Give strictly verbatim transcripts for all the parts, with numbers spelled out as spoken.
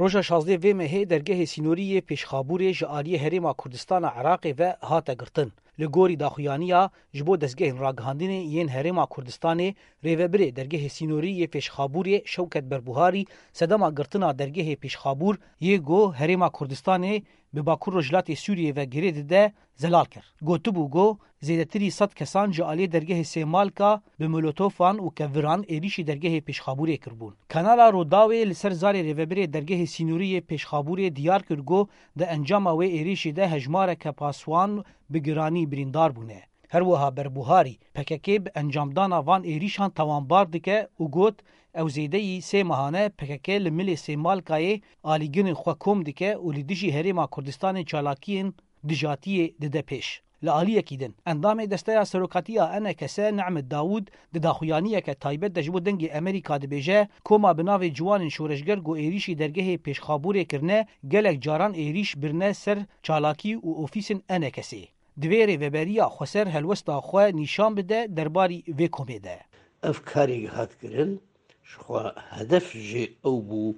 Roja şazdeh vê mehê dergehê sînorî yê Pêşxabûrê ji aliyê Herêma Kurdistana Iraqê ve hate girtin. Li gorî daxuyaniya ji bo dezgehên ragihandinê yên Herêma Kurdistanê, rêvebirê dergehê sînorî yê Pêşxabûrê Şewket Berbuharî sedema girtina dergehê Pêşxabûr yê ku Herêma Kurdistanê bi Bakur Rojhilatê Sûriyê ve girê dide, zelal kir. Gotibû ku zêdetirî sed kesan ji aliyê dergehê Sêmalka bi molotofan û keviran êrîşî dergehê Pêşxabûrê kiribûn. Kanala Rûdawê li ser zarê rêvebirê dergehê sînorî yê Pêşxabûrê diyar kir ku di encama wê êrîşî de hejmareke paswan bi giranî birîndar bûne. Her wiha Berbuharî P K K bi encamdana van êrîşan tawanbar dike û got, ew zêdeyî sê mehan e P K K li milê Sêmalkayê alîgirên xwe kom dike û li dijî Herêma Kurdistanê çalakiyên dijatiyê dide pêş. Li aliyekî din, endamê Desteya Serokatiya E N K S Nehmîd Dawûd di daxuyaniyeke taybet de ji bo Dengê Amerîka dibêje, koma bi navê Ciwanên Şoreşger ku êrîşî dergehê Pêşxabûrê kirine, gelek caran êrîş birine ser çalakî û ofîsên E N K S'ê. Divê Rêveberiya Xweser helwesta xwe nîşan bide derbarî vê komê de. Ev karê hat kirin, jixwe hedef jê ew bû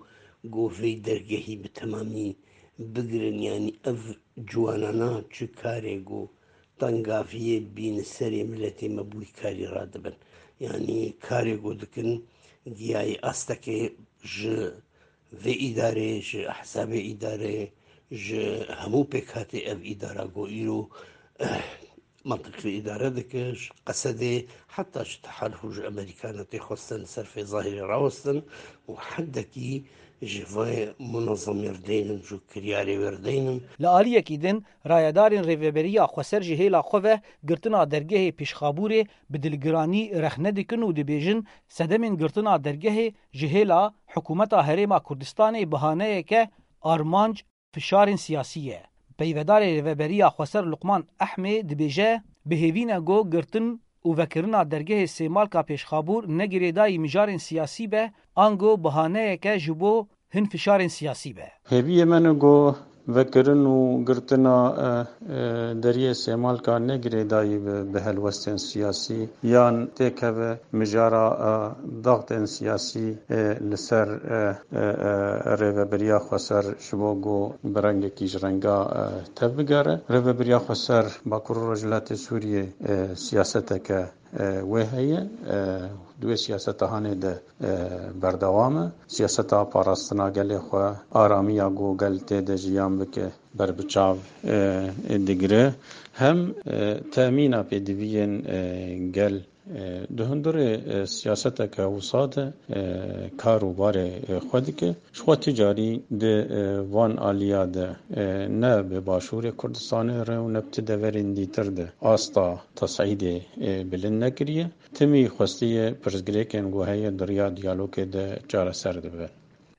ku vê dergehî bi temamî bigirin, yanî ev ciwanana çi karê ku tengaviyê bîn serê miletê me bûyî karî radibin. Yanî karê ku dikin giyayî astekê ji vê îdarê, ji ehzabê îdarê, ji hemû pêkhatê ev îdara ku îro, eh, mantiq vê îdare dike, ji Qesedê heta ji Tehalif û ji Amerîkana tê xwestin li ser fê zahîrê rawestin û hendekî ji vê munezemê rdeynin, ji kiryarê wê rdeynin. Li aliyekî din, rayedarên Rêveberiya Xweser ji hêla xwe ve girtina dergehê Pêşxabûrê bi dilgiranî rexne dikin û dibêjin, sedemên girtina dergehê ji hêla Hikûmeta Herêma Kurdistanê bihaneyeke armanc fişarên siyasî ye. Peyvedarê Rêveberiya Xweser Luqman Ehmê dibêje, bi hêvî ne ku girtin û vekirina dergehê Sêmalka Pêşxabûr ne girêdayî mijarên siyasî be, ango bihaneyeke ji bo hin fişarên siyasî be. Hêviyê me ne ku vekirin û girtina, e, e, deriyê Sêmalka ne girêdayî bi, bi helwestên siyasî yan têkeve mijara, e, daxtên siyasî, e, li ser, e, e, e, Rêveberiya Xweser ji bo ku bi rengekî ji renga, e, tevbigere. Rêveberiya Xweser Bakur û Rojhilatê Sûriyê, e, siyaseteke, e, wê heye. E, di wê siyaseta hanê de, e, berdewam e. Siyaseta parastina gelê xwe, aramiya ku gel tê de jiyan bike, berbiçav, e, digire. Hem, e, temîna pêdiviyên, e, gel, e, di hundirê, e, siyaseteke wisa de, e, kar û barê, e, xwe dike. Ji xwe tu carî di, e, van aliya de, e, ne bi Başûrê Kurdistanê re û ne bi ti deverên dîtir de asta tesîdê, e, bilind nekiriye. Timî xwestiye pirsgirêkên ku heye di riya diyalogê de çareser dibe.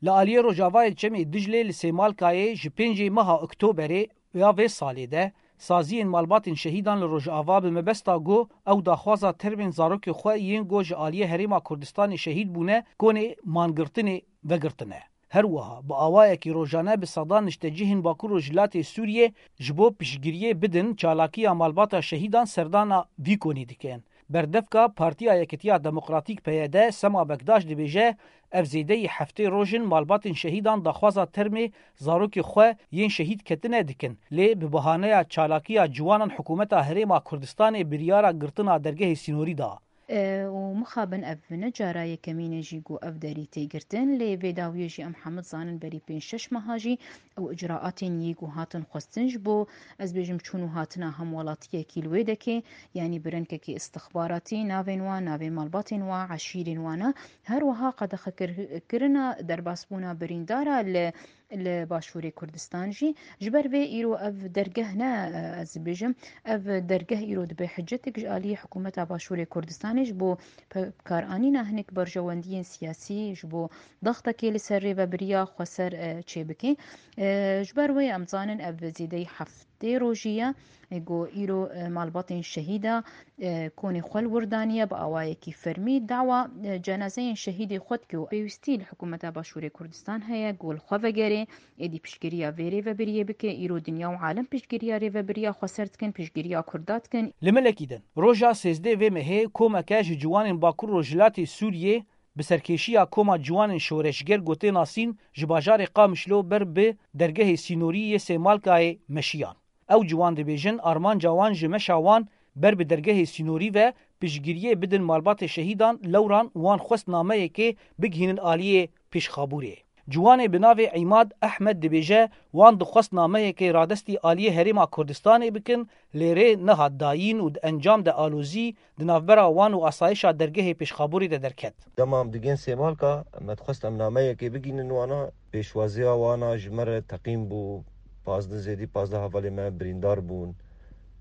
Li aliyê Rojavayê Çemê Diclê li Sêmalkayê ji pêncê meha Oktoberê ya vê salê de saziyên malbatên şehîdan li Rojava bi mebesta ku ew daxwaza termên zarokê xwe yên ku ji aliyê Herêma Kurdistanê şehîd bûne konê mangirtinê vegirtine. Her wiha bi awayekî rojane bi sedan niştecihên Bakur Rojhilatê Sûriyê ji bo piştgiriyê bidin çalakiya malbata şehîdan serdana vî konî dikin. Berdevka Partiya Yekitiya Demokratîk P Y D Sema Bekdaş dibêje, ev zêdeyî heftê roj in malbatên şehîdan daxwaza termê zarokê xwe yên şehîd ketine dikin, lê bi bahaneya çalakiya ciwanan hikûmeta Herêma Kurdistanê biryara girtina dergehê sînorî da. E, û mixabin ev ne cara yekemîn e jî ku ev derî tê girtin, lê vê dawiyê jî em hemû dizanin berî pênc şeş meha jî ew icraatên yî ku hatin xwestin ji bo, ez bêjim, çûn û hatina hemwelatiyekî li wê dekê, yanî bi rengekî istixbaratî navên wan, navên malbatên wan, eşîrên wan e. Her wiha qedexekir-, kirina derbasbûna birîndara li, li Başûrê Kurdistan jî. Ji ber vê îro ev dergeh ne, ez bêjim, ev dergeh îro dibe hicetek ji aliyê hikûmeta Başûrê Kurdistanê ji bo pe-, bikaranîna hinek berjewendiyên siyasî, ji bo daxtekê li ser rêvebiriya xweser, e, çêbike. E, ji ber wê em zanin ev zêdeyî heftê rojî ye, e, ku îro, e, malbatên şehîda, e, konê xwe li wir daniye bi awayekî fermî. Dawa, e, cenazeyên şehîdê xwe dike û pêwîstî li hikûmeta Başûrê Kurdistan heye ku li xwe vegere, êdî piştgiriya vê rêvebiriyê bike. Îro dinya û alem piştgiriya rêvebiriya xweser dikin, piştgiriya Kurda dikin. Li milekî din, roja sêzdeh vê mehê komeke ji ciwanên Bakur Rojhilatê Sûriyê bi serkêşiya Koma Ciwanên Şoreşger ku tê nasîn ji bajarê Qamişlo ber bi dergehê sînorî yê Sêmalkayê meşiyan. Ew ciwan dibêjin armanca wan ji meşa wan ber bi dergehê sînorî ve piştgiriyê bidin malbatê şehîdan, lewran wan xwest nameyekê bigihînin aliyê Pêşxabûrê. Ciwanê bi navê Îmad Ehmed dibêje, wan dixwest nameyekê radestî aliyê Herêma Kurdistanê bikin, lê rê nehat dayîn û di encam de alozî di navbera wan û asayişa dergehê Pêşxabûrê de derket. Dema em digên Sêmalka, me dixwest em nameyekê bigînin wana, pêşwaziya wana ji me re teqîn bû, pazdeh zêdî pazdeh hevalê me birîndar bûn.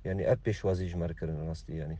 Yanî ev pêşwazî ji me re kirin rastî yanî.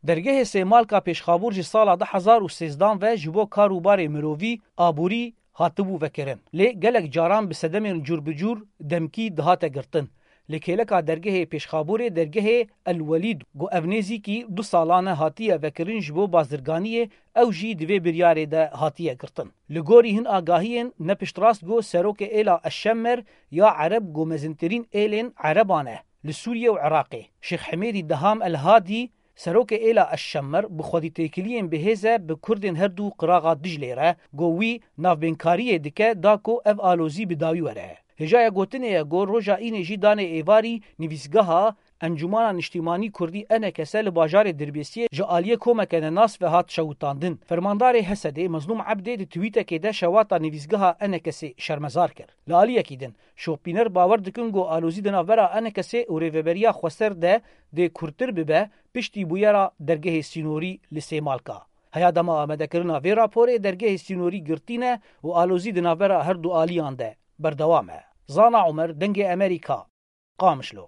Dergehê Sêmalka Pêşxabûr ji sala du hezar û sêzdan ve ji bo kar û barê mirovî, aborî, hatibû vekirin. Lê gelek caran bi sedemên cûr bi cûr demkî dihate girtin. Li kêleka dergehê Pêşxabûrê dergehê El Welîd ku ev nêzîkî du salan e hatiye vekirin ji bo bazirganiyê, ew jî di vê biryarê de hatiye girtin. Li gorî hin agahiyên ne piştrast ku serokê êla Eşşemmer ya Ereb ku mezintirîn êlên Ereban e li Sûriye û Iraqê, Şêx Hemêdî Deham El Hadî, serokê êla Eşşemmer bi xwedîtêkiliyên bi hêz e bi Kurdên her du qiraxa Diclê re, ku wî navbênkariyê dike da ku ev alozî bi dawî were. Hêjaya gotinê ye ku roja înê jî danê êvarî nivîsgeha Encûmana Niştîmanî Kurdî E N K S li bajarê Dirbêsiyê ji aliyê komeke nenas ve hat şewitandin. Fermandarê H S D'ê Mezlûm Ebdê di twîtekê de şewata nivîsgeha E N K S'ê şermezar kir. Li aliyekî din, şopîner bawer dikin ku alozî di navbera E N K S'ê û Rêveberiya Xweser de dê kûrtir bibe piştî bûyera dergehê sînorî li Sêmalka. Heya dema amadekirina vê raporê dergehê sînorî girtî ne û alozî di navbera her du aliyan de berdewam e. Zana Omer, Dengê Amerîka, Qamişlo.